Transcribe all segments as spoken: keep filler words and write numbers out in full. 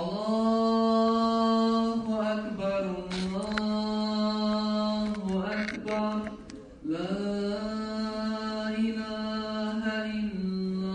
Allahu akbar, Allahu akbar, la ilaha illallah.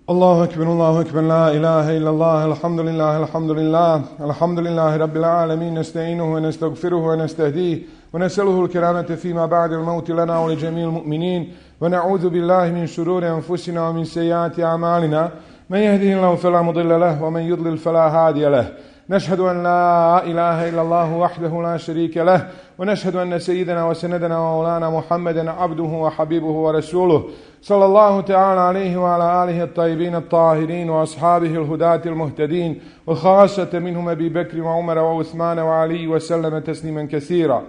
Allahu akbar, Allahu akbar, la ilaha illallah, alhamdulillah, alhamdulillah, alhamdulillahi rabbil alamin, nasta'inuhu wa nastaghfiruhu wa nastahdihi wa nas'aluhu al-kiramata fima ba'da al-maut lana wa li jami'il mu'minin wa na'udhu billahi min shururi anfusina wa min sayyiati a'malina man yahdihillahu fala mudilla lahu wa man yudlil fala hadiya lahu. نشهد أن لا إله إلا الله وحده لا شريك له ونشهد أن سيدنا وسندنا ومولانا محمدا عبده وحبيبه ورسوله صلى الله تعالى عليه وعلى آله الطيبين الطاهرين وأصحابه الهداة المهتدين وخاصة منهم أبي بكر وعمر وعثمان وعلي وسلم تسليما كثيرا.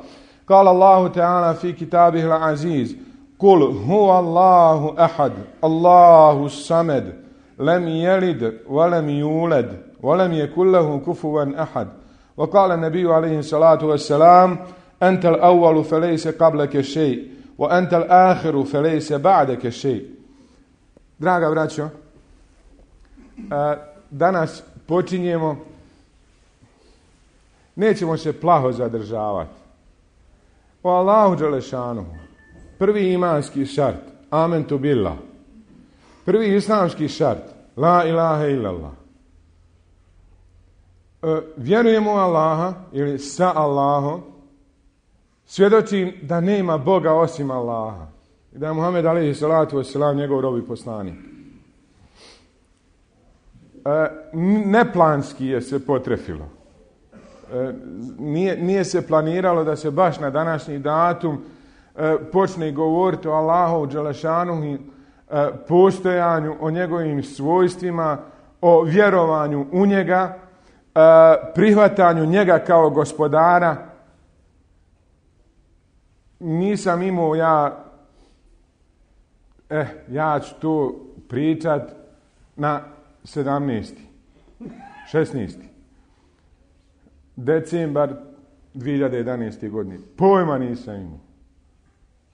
قال الله تعالى في كتابه العزيز: قل هو الله أحد الله الصمد لم يلد ولم يولد ولم يكن له كفوا أحد. وقال النبي عليه الصلاة والسلام: أنت الأول فليس قبلك شيء وأنت الآخر فليس بعدك شيء. Draga braćo, danas počinjemo, nećemo se plaho zadržavati. O Allahu dželešanuhu, prvi imanski šart, amentu billah, prvi islamski šart, la ilaha illallah. Vjerujemo u Allaha ili sa Allahom, svjedočim da nema Boga osim Allaha i da je Muhammed alejhi salatu vesselam njegov rob i poslanik. Neplanski je se potrefilo. Nije, nije se planiralo da se baš na današnji datum počne govoriti o Allahu dželešanuhu, postojanju, o njegovim svojstvima, o vjerovanju u njega, prihvatanju njega kao gospodara. Nisam imao ja eh, ja ću to pričat na sedamnaesti šesnaesti decembar dvije hiljade jedanaeste. godine. Pojma nisam imao.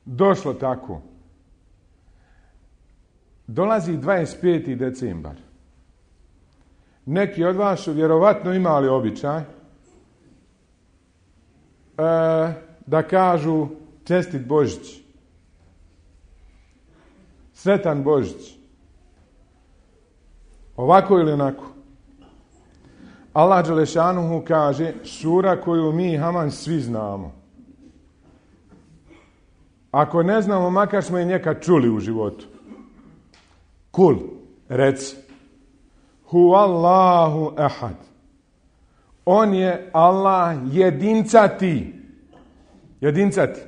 Došlo tako. Dolazi dvadeset peti decembar. Neki od vas su vjerovatno imali običaj e, da kažu čestit Božić, sretan Božić, ovako ili onako. Allah dželešanuhu kaže, sura koju mi haman svi znamo. Ako ne znamo, makar smo i njeka čuli u životu. Kul, reci. Hu Allahu ahad. On je Allah jedincati. Jedincati.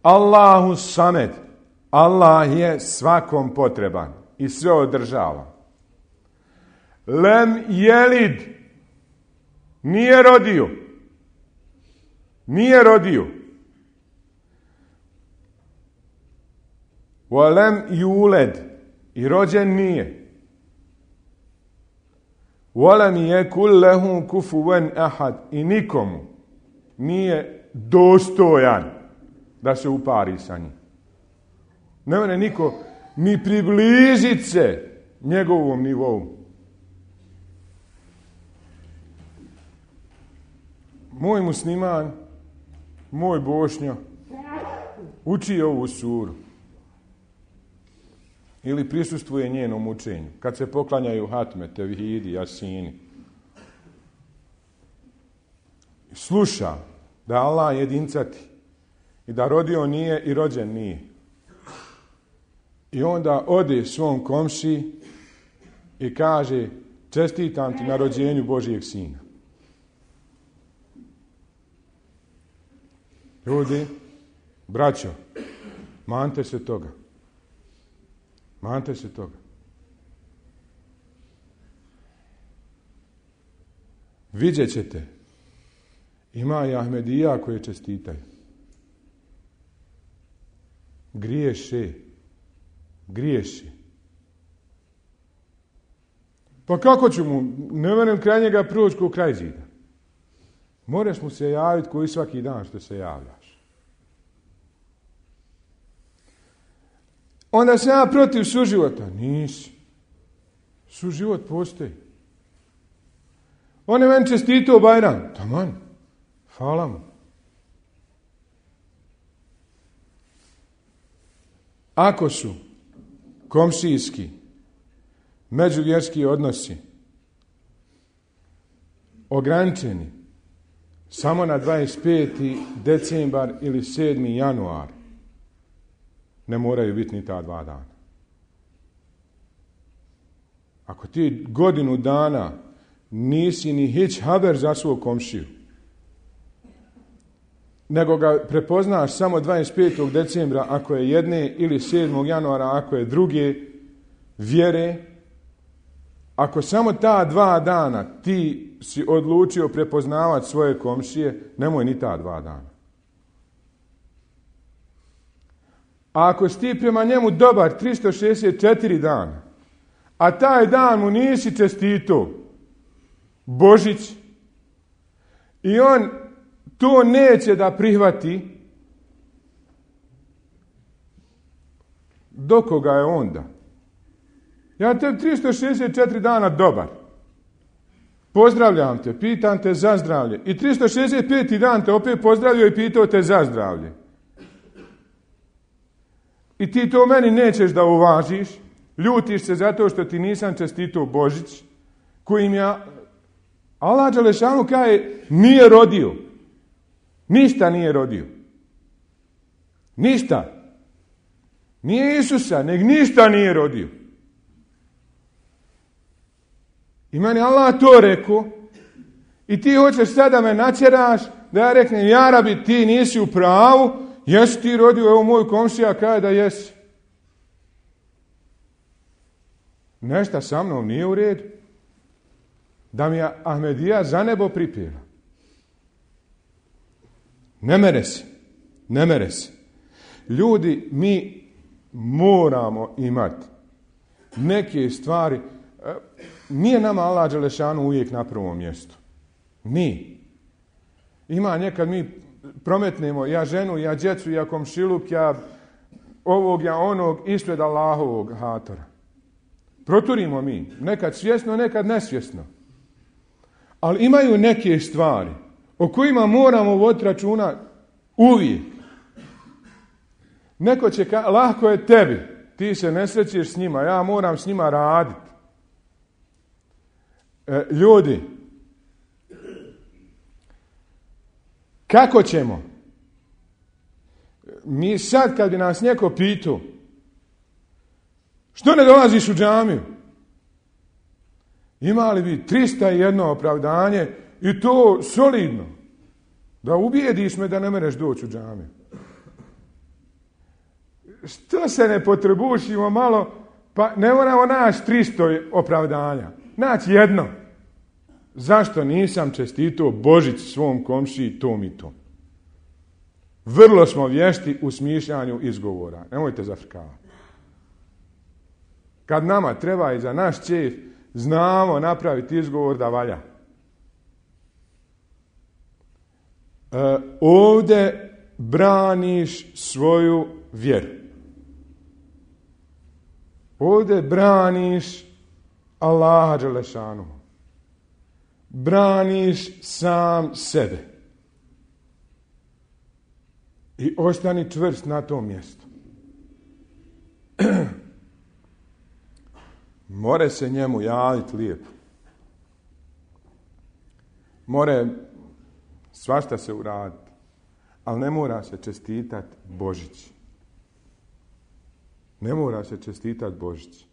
Allahu samed. Allah je svakom potreban i sve održava. Lem jelid. Nije rodio. Nije rodio. Wa lem yulad. I rođen nije. وَلَمْ يَكُنْ لَهُ كُفُوًا أَحَدٌ. I nikomu nije dostojan da se upari sa njim. Ne može niko ni približiti se njegovom nivou. Moj musliman, moj Bošnjo, uči ovu suru. Ili prisustvuje njenom učenju. Kad se poklanjaju hatme, tevhidi, jasini. Sluša da Allah jedincati i da rodio nije i rođen nije. I onda ode svom komši i kaže: čestitam ti na rođenju Božijeg sina. Ljudi, braćo, mante se toga. Mante se toga. Vidjet ćete, ima i Ahmedija koje čestitaju. Griješe. Griješi. Pa kako ću mu, ne verujem kraj njega proći ko kraj zida. Moraš mu se javiti koji svaki dan što se javljaš. onda sam ja protiv suživota. Nisi. Suživot postoji. On je meni čestitao Bajram. Taman. Hvala mu. Ako su komšijski, međuvjerski odnosi ograničeni samo na dvadeset peti decembar ili sedmi januar, ne moraju biti ni ta dva dana. Ako ti godinu dana nisi ni hić haber za svog komšiju, nego ga prepoznaš samo dvadeset petog decembra ako je jedne ili sedmog januara ako je druge vjere, ako samo ta dva dana ti si odlučio prepoznavati svoje komšije, nemoj ni ta dva dana. A ako si ti prema njemu dobar tristo šezdeset četiri dana, a taj dan mu nisi čestito Božić i on to neće da prihvati, do koga je onda? Ja te tristo šezdeset četiri dana dobar. Pozdravljam te, pitam te za zdravlje. I tristo šezdeset peti dan te opet pozdravio i pitao te za zdravlje. I ti to meni nećeš da uvažiš, ljutiš se zato što ti nisam čestitao Božić, kojim ja, Allah dželešanu kaže, nije rodio. Ništa nije rodio. Ništa. Nije Isusa, nego ništa nije rodio. I meni Allah to rekao i ti hoćeš sada me načeraš da ja reknem, ja rabi, ti nisi u pravu, jesi ti rodio, evo moj komšija kaže da jesi. Nešto sa mnom nije u redu. Da mi je Ahmedija za nebo pripjela. Ne mere se. Ne mere se. Ljudi, mi moramo imati neke stvari. Nije nama Allah dželešanu uvijek na prvom mjestu. Mi. Ima nekad mi prometnemo, ja ženu, ja djecu, ja komšiluk, ja ovog, ja onog, ispred Allahovog hatora. Proturimo mi. Nekad svjesno, nekad nesvjesno. Ali imaju neke stvari o kojima moramo voditi računa uvijek. Neko će ka, lahko je tebi, ti se ne srećeš s njima, ja moram s njima raditi. E, ljudi, kako ćemo? Mi sad kad bi nas neko pitao, što ne dolaziš u džamiju? Imali bi tristo jedan opravdanje i to solidno. Da ubijediš me da ne mereš doći u džamiju. Što se ne potrebušimo malo, pa ne moramo naći tristo opravdanja. Naći jedno. Zašto nisam čestitao Božić svom komšiji tom i tom? Vrlo smo vješti u smišljanju izgovora. Nemojte zafrkavati. Kad nama treba i za naš čef, znamo napraviti izgovor da valja. E, ovdje braniš svoju vjeru. Ovdje braniš Allaha dželešanu. Braniš sam sebe. I ostani čvrst na tom mjestu. More se njemu javiti lijepo. More svašta se uraditi. Ali ne mora se čestitati Božić. Ne mora se čestitati Božić.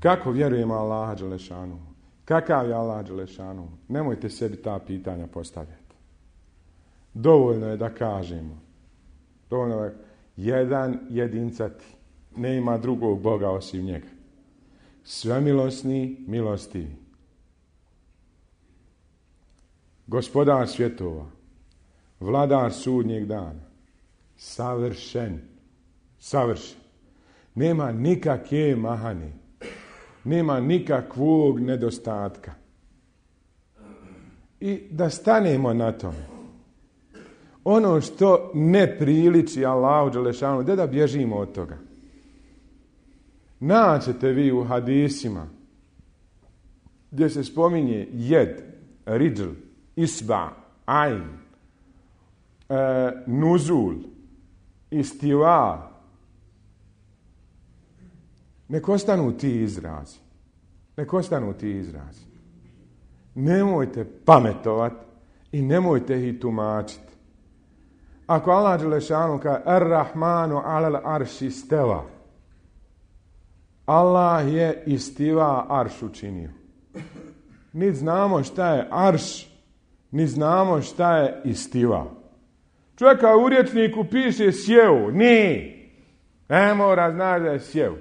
Kako vjerujemo Allaha dželešanu? Kakav je Allah dželešanu? Nemojte sebi ta pitanja postavljati. Dovoljno je da kažemo. Dovoljno je jedan jedincati. Ne ima drugog Boga osim njega. Svemilosni, milostivi. Gospodar svjetova. Vladar sudnjeg dana. Savršen. Savršen. Nema nikakve mahane. Nema nikakvog nedostatka. I da stanemo na tome. ono što ne priliči Allahu dželešanu, gdje da bježimo od toga? Naćete vi u hadisima gdje se spominje jed, ridl, isba, ajn, e, nuzul, istiva. Nek ostanu ti izrazi. Nek ostanu ti izrazi. Nemojte pametovati i nemojte ih tumačiti. Ako Allah dželešanu kaže Ar-Rahmanu alal arši steva, Allah je istiva arš učinio. Ni znamo šta je arš, ni znamo šta je istiva. Čovjeka u rječniku piše sjeo, ni. Ne mora znati da je sjeo.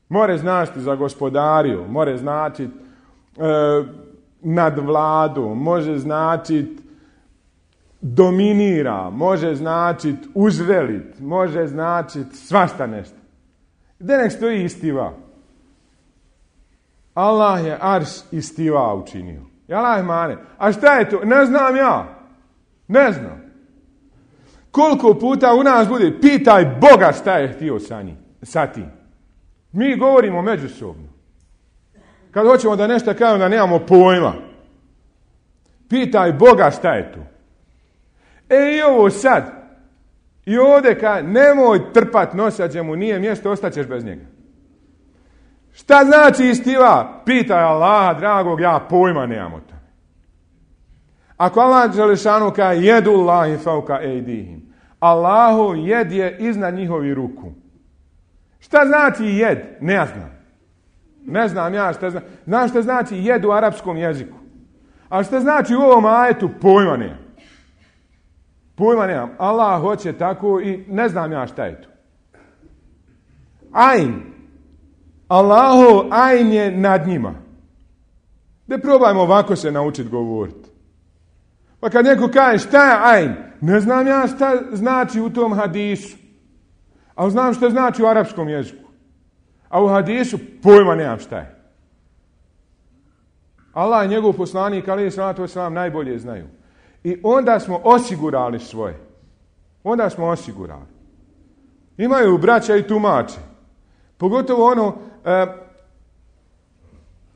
More značiti za gospodariju, more značiti e, nad vladu, može značiti dominira, može značiti uzvelit, može značiti svašta nešto. Gdje nek stoji istiva? Allah je arš istiva učinio. Allah mane. A šta je to? Ne znam ja. Ne znam. Koliko puta u nas bude pitaj Boga šta je htio sa njim, sa tim. Mi govorimo međusobno. Kad hoćemo da nešto kažemo da nemamo pojma. Pitaj Boga šta je to. E i ovo sad. I ovdje kaže, nemoj trpat nosač, mu nije mjesto, ostaćeš bez njega. Šta znači istiva? Pitaj Allaha, dragog, ja pojma nemam o tome. Ako Allah dželešanu kaže, jedu Allahi fauka ejdihim. Allahu jed je iznad njihovi ruku. Šta znači jed? Ne znam. Ne znam ja šta znam. Znam šta znači jed u arapskom jeziku. A šta znači u ovom ajetu? Pojma nemam. Pojma nemam. Allah hoće tako i ne znam ja šta je to. Ajn. Allahu ajn je nad njima. Da probajmo ovako se naučiti govoriti. Pa kad neko kaže šta je ajn, ne znam ja šta znači u tom hadisu. Ali znam šta znači u arapskom jeziku. A u hadisu pojma nemam šta je. Allah i njegov poslanik, alejhi salatu vesselam, najbolje znaju. I onda smo osigurali svoje. Onda smo osigurali. Imaju braća i tumače. Pogotovo ono, e,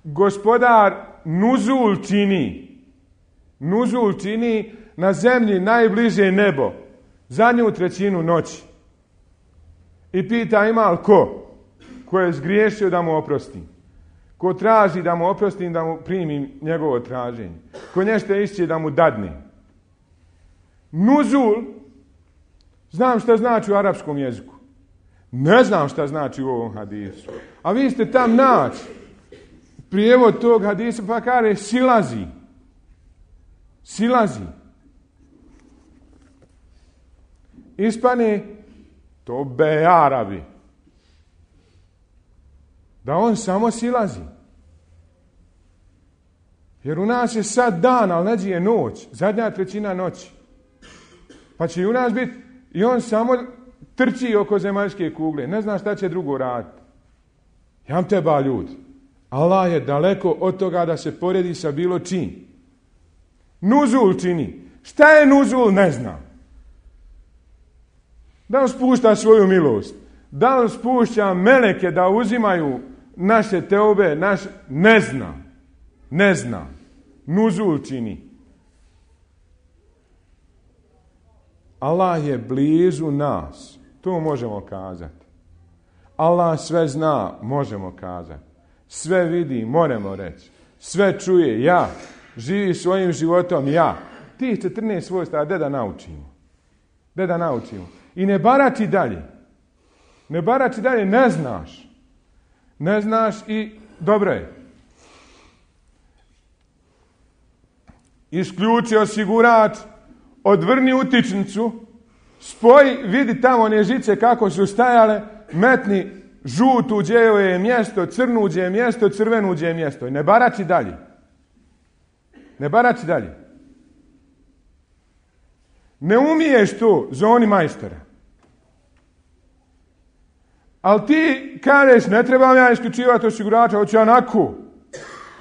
gospodar nuzul čini. Nuzul čini na zemlji najbliže nebo. Zadnju trećinu noći. I pita ima li ko? Ko je zgriješio da mu oprostim? Ko traži da mu oprostim, da mu primim njegovo traženje? Ko nešto išće da mu dadne? Nuzul, znam šta znači u arapskom jeziku. Ne znam šta znači u ovom hadisu. A vi ste tam naći prijevod tog hadisa pa kaže silazi. Silazi. Ispane to be Arabi. Da on samo silazi. Jer u nas je sad dan, ali neđe je noć. Zadnja trećina noći. Pa će i u nas biti i on samo trči oko zemaljske kugle. Ne zna šta će drugo raditi. Jam teba ljudi. Allah je daleko od toga da se poredi sa bilo čim. Nuzul čini. Šta je nuzul? Ne znam. Da on spušta svoju milost. Da on spušća meleke da uzimaju naše teobe. Naš... Ne znam. Ne znam. Nuzul čini. Allah je blizu nas. To možemo kazati. Allah sve zna, možemo kazati. Sve vidi, moramo reći. Sve čuje, ja. Živi svojim životom, ja. Tih četrnaest svojstava, gdje da naučimo? Gdje da naučimo? I ne barači dalje. Ne barači dalje, ne znaš. Ne znaš i dobro je. Isključi osigurač, odvrni utičnicu, spoji, vidi tamo one žice kako su stajale, metni žutu gdje je mjesto, crnu gdje je mjesto, crvenu gdje je mjesto. Ne barači dalje. Ne barači dalje. Ne umiješ to, zoni majstora. Ali ti kažeš, ne trebam ja isključivati osigurača, hoću onako.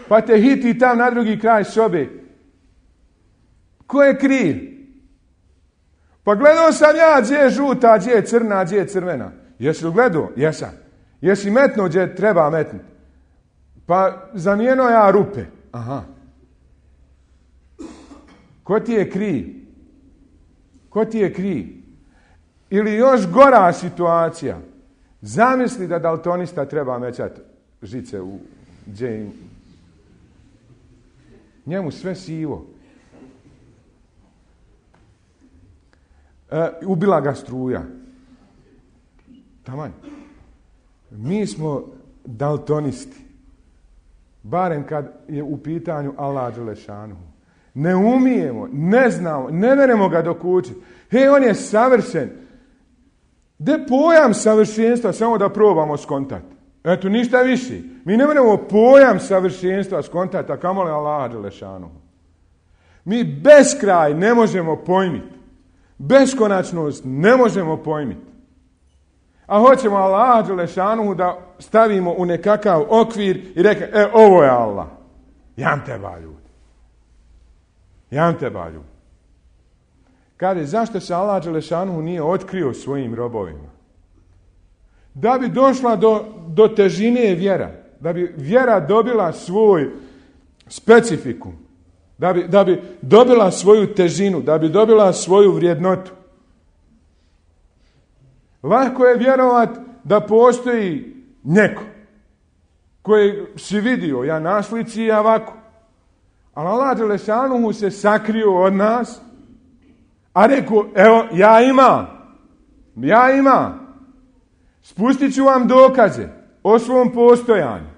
Pa te hiti tam na drugi kraj sobe. Ko je kriv? Pa gledao sam ja gdje je žuta, gdje je crna, gdje je crvena. Jesi li gledao? Jesam. Jesi metnuo gdje treba metnuti? Pa zamijeno ja rupe. Aha. Ko ti je kriv? Ko ti je kriv? Ili još gora situacija. Zamisli da daltonista treba mećati žice u gdje im. Njemu sve sivo. E, ubila ga struja. Taman. Mi smo daltonisti. Barem kad je u pitanju Allah Đelešanuhu. Ne umijemo, ne znamo, ne meremo ga dokučiti. Hej, on je savršen. De pojam savršenstva samo da probamo skontati. Eto, ništa više. Mi ne meremo pojam savršenstva skontati, a kamoli Allah Đelešanuhu. Mi beskraj ne možemo pojmiti. Beskonačnost ne možemo pojmiti. A hoćemo Allah Đelešanuhu da stavimo u nekakav okvir i reke, e, ovo je Allah. Jam teba ljudi. Jam teba ljudi. Kaže, zašto se Allah Đelešanuhu nije otkrio svojim robovima? Da bi došla do, do težine vjera. Da bi vjera dobila svoj specifikum. Da bi, da bi dobila svoju težinu. Da bi dobila svoju vrijednotu. Lako je vjerovat da postoji neko koji si vidio, ja na slici i ovako. Ali Allah Đelešanuhu se sakrio od nas, a rekao, evo, ja imam, ja imam. Spustit ću vam dokaze o svom postojanju.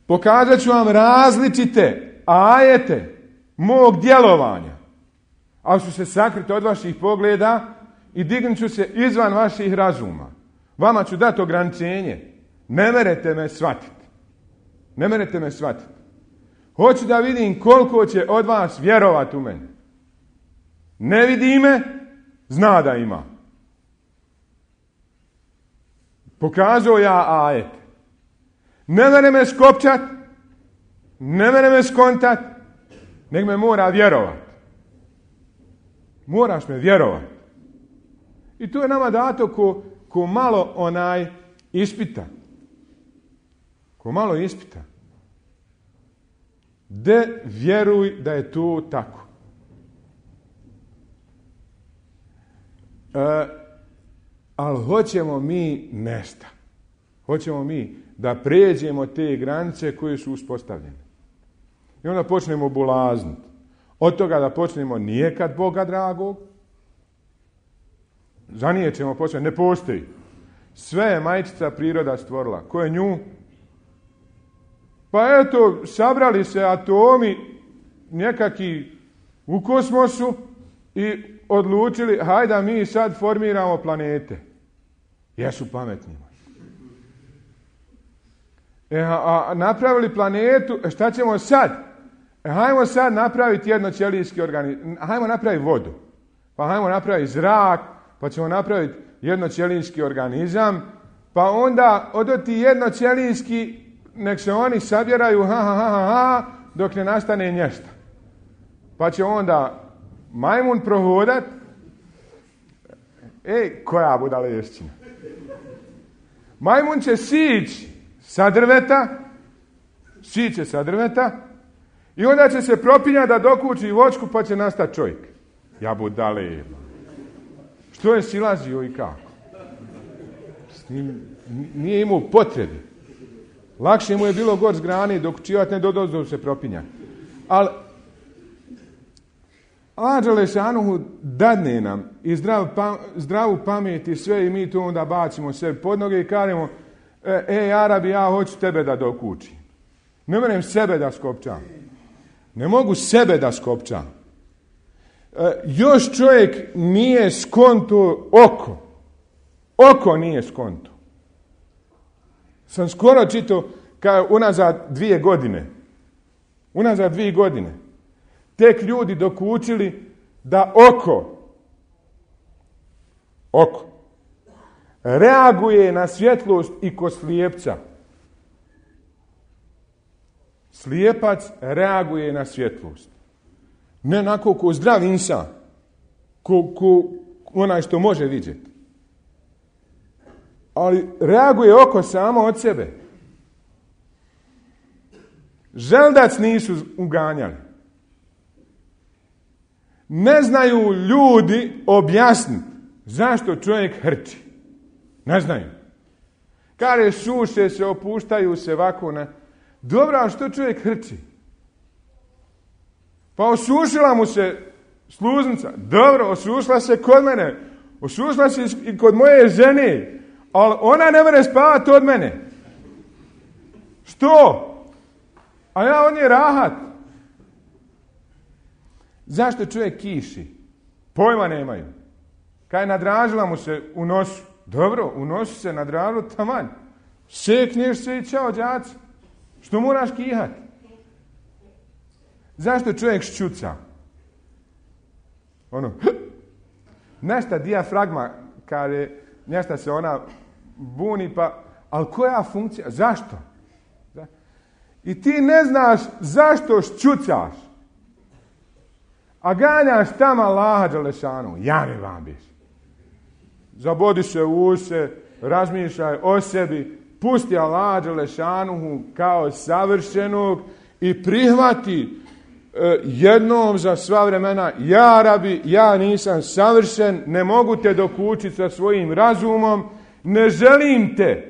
Pokazat ću vam različite ajete mog djelovanja, ali su se sakriti od vaših pogleda i dignut ću se izvan vaših razuma. Vama ću dati ograničenje. Ne merete me shvatiti. Ne merete me shvatiti. Hoću da vidim koliko će od vas vjerovati u mene. Ne vidi me, zna da ima. Pokazao ja ajet. Ne mere me skopčat, ne mere me skontat, nek me mora vjerovat. Moraš me vjerovat. I to je nama dato ko, ko malo onaj ispita. Ko malo ispita. De vjeruj da je to tako. E, ali hoćemo mi nešto. Hoćemo mi da pređemo te granice koje su uspostavljene. I onda počnemo bulazniti. Od toga da počnemo nijekad Boga dragog. Za nije ćemo početi. Ne postoji. Sve je majčica priroda stvorila. Ko je nju? Pa eto, sabrali se atomi nekaki u kosmosu i odlučili, hajde mi sad formiramo planete. Jesu pametni. E, a, a napravili planetu, šta ćemo sad? E, hajmo sad napraviti jednoćelijski organizam. Hajmo napraviti vodu. Pa hajmo napraviti zrak, pa ćemo napraviti jednoćelijski organizam, pa onda od ti jednoćelijski nek se oni sabjeraju ha, ha, ha, ha, dok ne nastane nješta. Pa će onda majmun prohodat. Ej, koja budalešćina. Majmun će sići sa drveta, siće sa drveta i onda će se propinjati da dokući vočku pa će nastati čovjek. Ja budale. Što je silazio i kako? S njim nije imao potrebe. Lakše mu je bilo gor s grani dok čivat ne dodozdo se propinja. Ali Allah Đelešanuhu dadne nam i zdrav, pa, zdravu pamet i sve i mi to onda bacimo sebi pod noge i kažemo e, e Arabi, ja hoću tebe da dokučim. Ne moram sebe da skopčam. Ne mogu sebe da skopčam. E, još čovjek nije skonto oko. Oko nije skonto. Sam skoro čitao kao unazad dvije godine. Unazad dvije godine. Tek ljudi dokučili da oko, oko, reaguje na svjetlost i kod slijepca. Slijepac reaguje na svjetlost. Ne onako ko zdrav insan. ko, ko onaj što može vidjeti. Ali reaguje oko samo od sebe. Želdac nisu uganjali. Ne znaju ljudi objasniti zašto čovjek hrči. Ne znaju. Kaže, suše se, opuštaju se ovako. Ne. Dobro, a što čovjek hrči? Pa osušila mu se sluznica. Dobro, osušila se kod mene. Osušila se i kod moje žene. Ali ona ne može spavati od mene. Što? A ja on je rahat. Zašto čovjek kiši? Pojma nemaju. Kaj nadražila mu se u nosu. Dobro, u nosu se nadražilo taman. Sekneš se i čao đaci. Što moraš kihati? Zašto čovjek šćuca? Ono, nešta dijafragma, kaže, nešta se ona buni, pa, ali koja funkcija? Zašto? I ti ne znaš zašto šćucaš, a ganjaš tamo Allaha dželešanu. Ja mi vam biš. Zabodi se u use, razmišljaj o sebi, pusti Allaha dželešanu kao savršenog i prihvati e, jednom za sva vremena, ja rabi, ja nisam savršen, ne mogu te dokučiti sa svojim razumom, ne želim te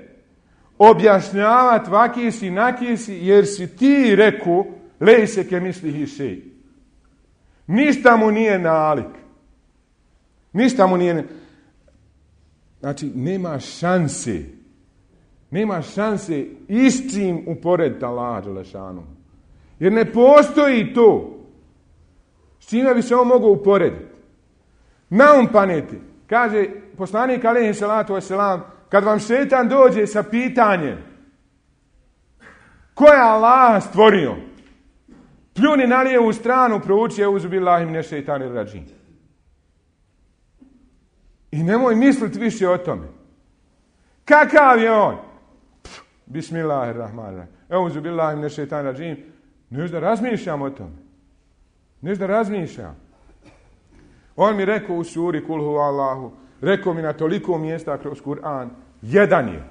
objašnjavati vaki si, naki si, jer si ti reku, lej se ke misli hišej. Ništa mu nije nalik. Ništa mu nije... Znači, nema šanse. Nema šanse s čim uporediti Allaha dželešanu. Jer ne postoji to. S čime bi se on mogao uporediti? Na um paneti. Kaže poslanik alejhi salatu vesselam, kad vam šejtan dođe sa pitanjem ko je Allah stvorio, pljuni na lijevu stranu, prouči euzu billahi mine šejtanir radžim. I nemoj misliti više o tome. Kakav je on? Pff, bismillahirrahmanirrahim. Euzu billahi mine šejtanir radžim. Neš da razmišljam o tome. Neš da razmišljam. On mi rekao u suri Kul hu Allahu, rekao mi na toliko mjesta kroz Kur'an, jedan je.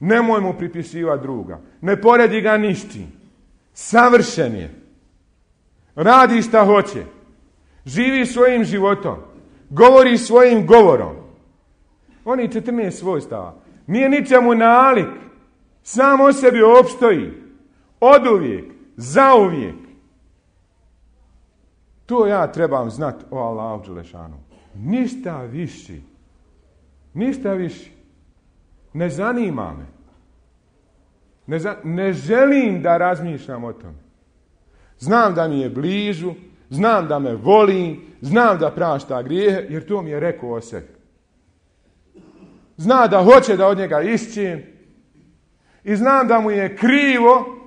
Nemoj mu pripisivati druga. Ne poredi ga ništi. Savršen je. Radi šta hoće. Živi svojim životom. Govori svojim govorom. Oni četrnaest svojstava. Nije ničemu nalik. Sam o sebi opstoji. Oduvijek. Zauvijek. To ja trebam znati o Allahu dželešanu. Ništa više. Ništa više. Ne zanima me. Ne, za, ne želim da razmišljam o tome. Znam da mi je blizu, znam da me voli, znam da prašta grijehe, jer to mi je rekao o sebi. Zna da hoće da od njega išćim i znam da mu je krivo,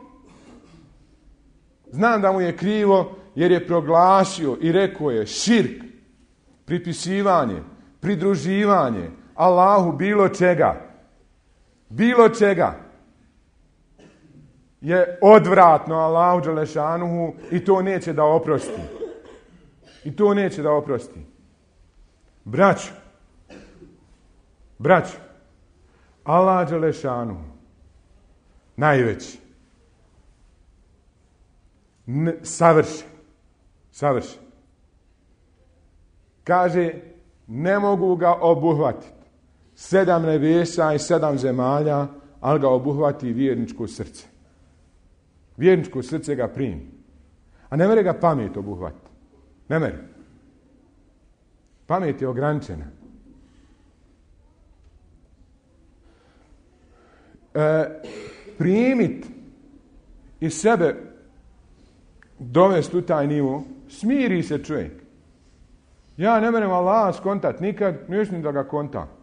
znam da mu je krivo jer je proglasio i rekao je širk, pripisivanje, pridruživanje Allahu bilo čega, bilo čega je odvratno Allahu dželešanuhu i to neće da oprosti. I to neće da oprosti. Braćo, braćo, Allah dželešanuhu, najveći, N- savršen, savršen. Kaže, ne mogu ga obuhvatiti sedam nebesa i sedam zemalja, ali ga obuhvati vjerničko srce. Vjerničko srce ga primi. A ne mere ga pamet obuhvatiti. Ne mere. Pamet je ograničena. E, primit iz sebe dovesti u taj nivo, smiri se čovjek. Ja ne merem Allah skontat nikad, mislim da ga kontam.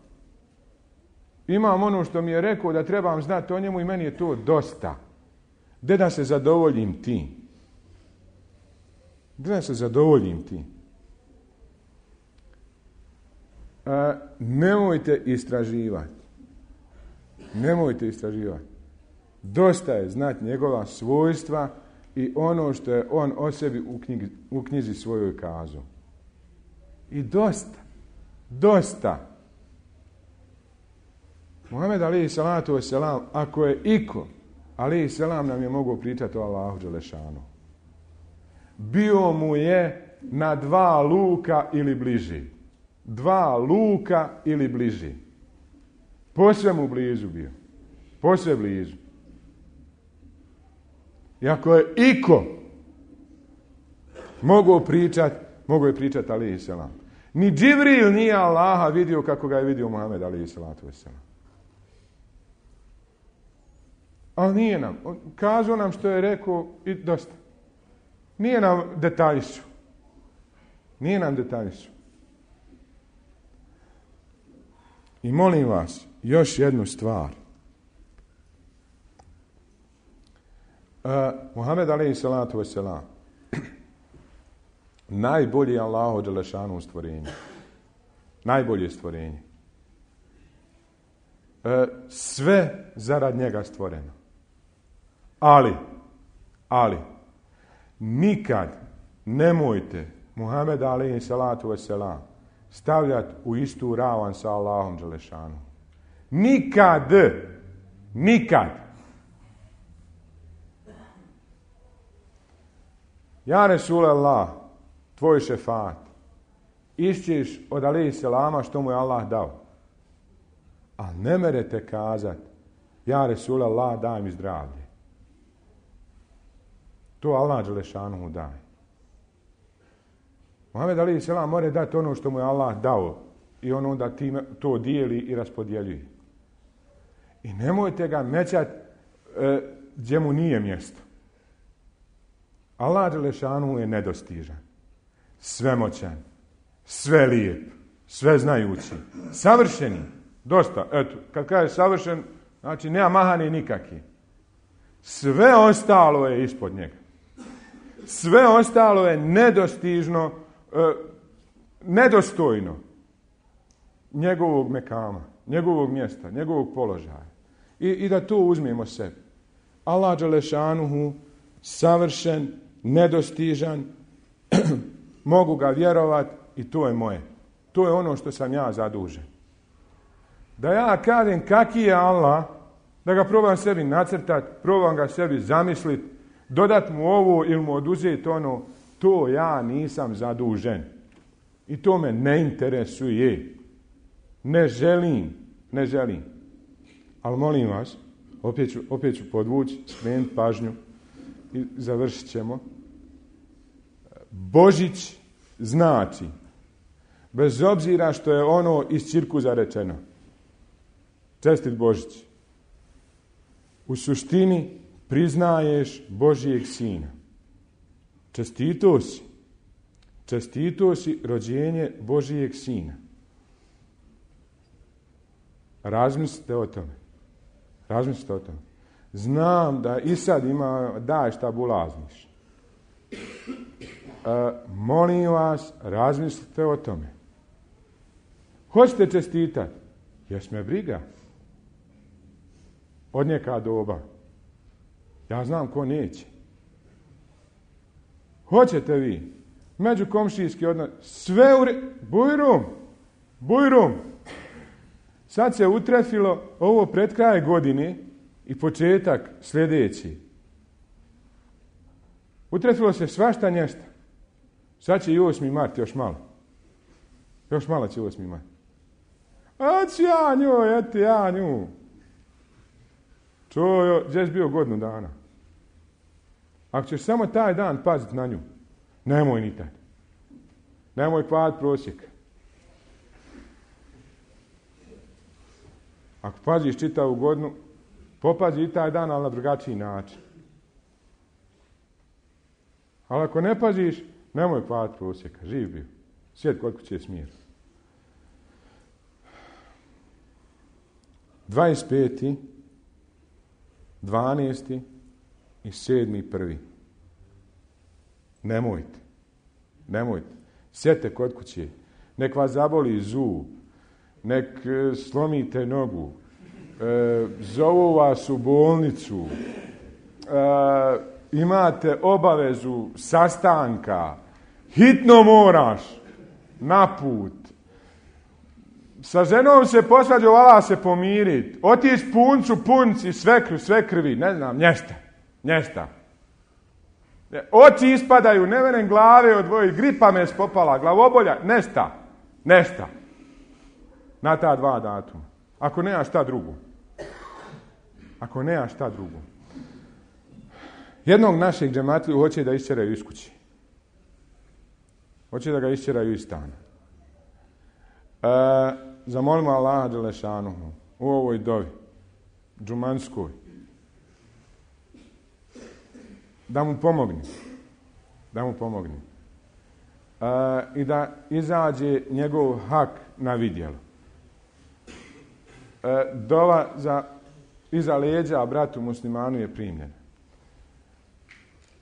Imam ono što mi je rekao da trebam znati o njemu i meni je to dosta. Gdje da se zadovoljim tim? Gdje da se zadovoljim tim? E, nemojte istraživati. Nemojte istraživati. Dosta je znati njegova svojstva i ono što je on o sebi u, knjigi, u knjizi svojoj kazao. I dosta, dosta. Muhammed alejhi salatu vesselam, ako je iko, alejhi selam nam je mogao pričati o Allahu dželešanu. Bio mu je na dva luka ili bliži. Dva luka ili bliži. Posve mu blizu bio. Posve blizu. I ako je iko mogao pričati, mogao je pričati alejhi selam. Ni Džibril nije Allaha vidio kako ga je vidio Muhammed alejhi salatu vesselam. Ali nije nam. Kazao nam što je rekao i dosta. Nije nam detaljišu. Nije nam detaljišu. I molim vas, još jednu stvar. Uh, Muhammed alejhi salatu vesselam najbolji je Allahu dželešanu stvorenje. Najbolje stvorenje. Uh, sve zarad njega stvoreno. Ali, ali, nikad nemojte Muhammed alejhi salatu vesselam stavljati u istu ravan sa Allahom dželešanu. Nikad, nikad. Ja Resulallah, tvoj šefat, išćiš od alejhi selama što mu je Allah dao. A ne merete kazat, ja Resulallah, daj mi zdravlje. To Allah dželešanu mu daje. Muhammed alejhi selam mora dati ono što mu je Allah dao i on onda time to dijeli i raspodjeljuje. I nemojte ga mećat e, gdje mu nije mjesto. Allah dželešanu je nedostižan, svemoćan, sve lijep, sve znajući, savršeni. Dosta, eto, kad kaže savršen, znači nema mahani nikaki. Sve ostalo je ispod njega. Sve ostalo je nedostižno, e, nedostojno njegovog mekama, njegovog mjesta, njegovog položaja. I, i da to uzmemo sebi. Allah dželešanuhu, savršen, nedostižan, mogu ga vjerovat i to je moje. To je ono što sam ja zadužen. Da ja kažem kaki je Allah, da ga probam sebi nacrtat, probam ga sebi zamislit, dodat mu ovo ili mu oduzeti ono, to ja nisam zadužen. I to me ne interesuje. Ne želim, ne želim. Ali molim vas, opet ću, opet ću podvući, skrenuti pažnju i završit ćemo. Božić znači, bez obzira što je ono iz cirkuza rečeno, čestit Božić, u suštini priznaješ Božijeg sina. Čestito si. Čestito si rođenje Božijeg sina. Razmislite o tome. Razmislite o tome. Znam da i sad ima, daj šta bulazniš. E, molim vas, razmislite o tome. Hoćete čestitati? Jes me briga. Od njeka doba. Ja znam ko neće. Hoćete vi? Međukomšijski odnos. Sve u... Re... Bujrum! Bujrum! Sad se utrefilo ovo pred kraj godine i početak sljedeći. Utrefilo se svašta nješta. Sad će i osmi mart još malo. Još malo će osmi mart. A ću ja nju, eti ja nju. Čuo, gdje si bio godinu dana? Ako ćeš samo taj dan paziti na nju, nemoj ni tad. Nemoj pad prosjek. Ako paziš čitavu godinu, popazi i taj dan, ali na drugačiji način. Ali ako ne paziš, nemoj pad prosjeka. Živ bio. Svijet koliko će smjer. dvadeset peti dvanaesti i sedmi prvi Nemojte. Nemojte. Sjete kod kuće. Nek vas zaboli zub. Nek e, slomite nogu. E, zovu vas u bolnicu. E, imate obavezu sastanka. Hitno moraš. na put. Sa ženom se posvađa, vala se pomiriti. Otići puncu, punci, svekru, svekrvi, ne znam, nješta. Nješta. Oči ispadaju, ne venem glave odvoji, gripa me spopala, glavobolja, nešta. Nešta. Na ta dva datuma. Ako nema šta drugo. Ako nema šta drugo. Jednog našeg džematliju hoće da isčeraju iz kući. Hoće da ga isčeraju iz stana. E, zamolimo Allaha dželešanuhu u ovoj dovi, džumanskoj, da mu pomogni. Da mu pomogni. E, I da izađe njegov hak na vidjelo. E, dova za, iza leđa bratu muslimanu je primljena.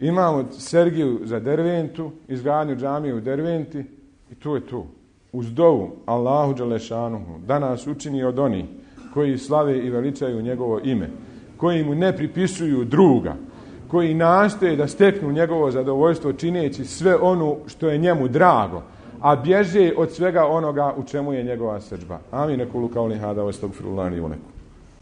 Imamo Sergiju za Derventu, izgradnju džamije u Derventi i to je to. Uz dovu Allahu dželešanuhu da nas učini od onih koji slave i veličaju njegovo ime, koji mu ne pripisuju druga, koji nastoje da steknu njegovo zadovoljstvo čineći sve ono što je njemu drago, a bježe od svega onoga u čemu je njegova srdžba. Amin. Ekulu kauli hada, astagfirullahi wa lakum.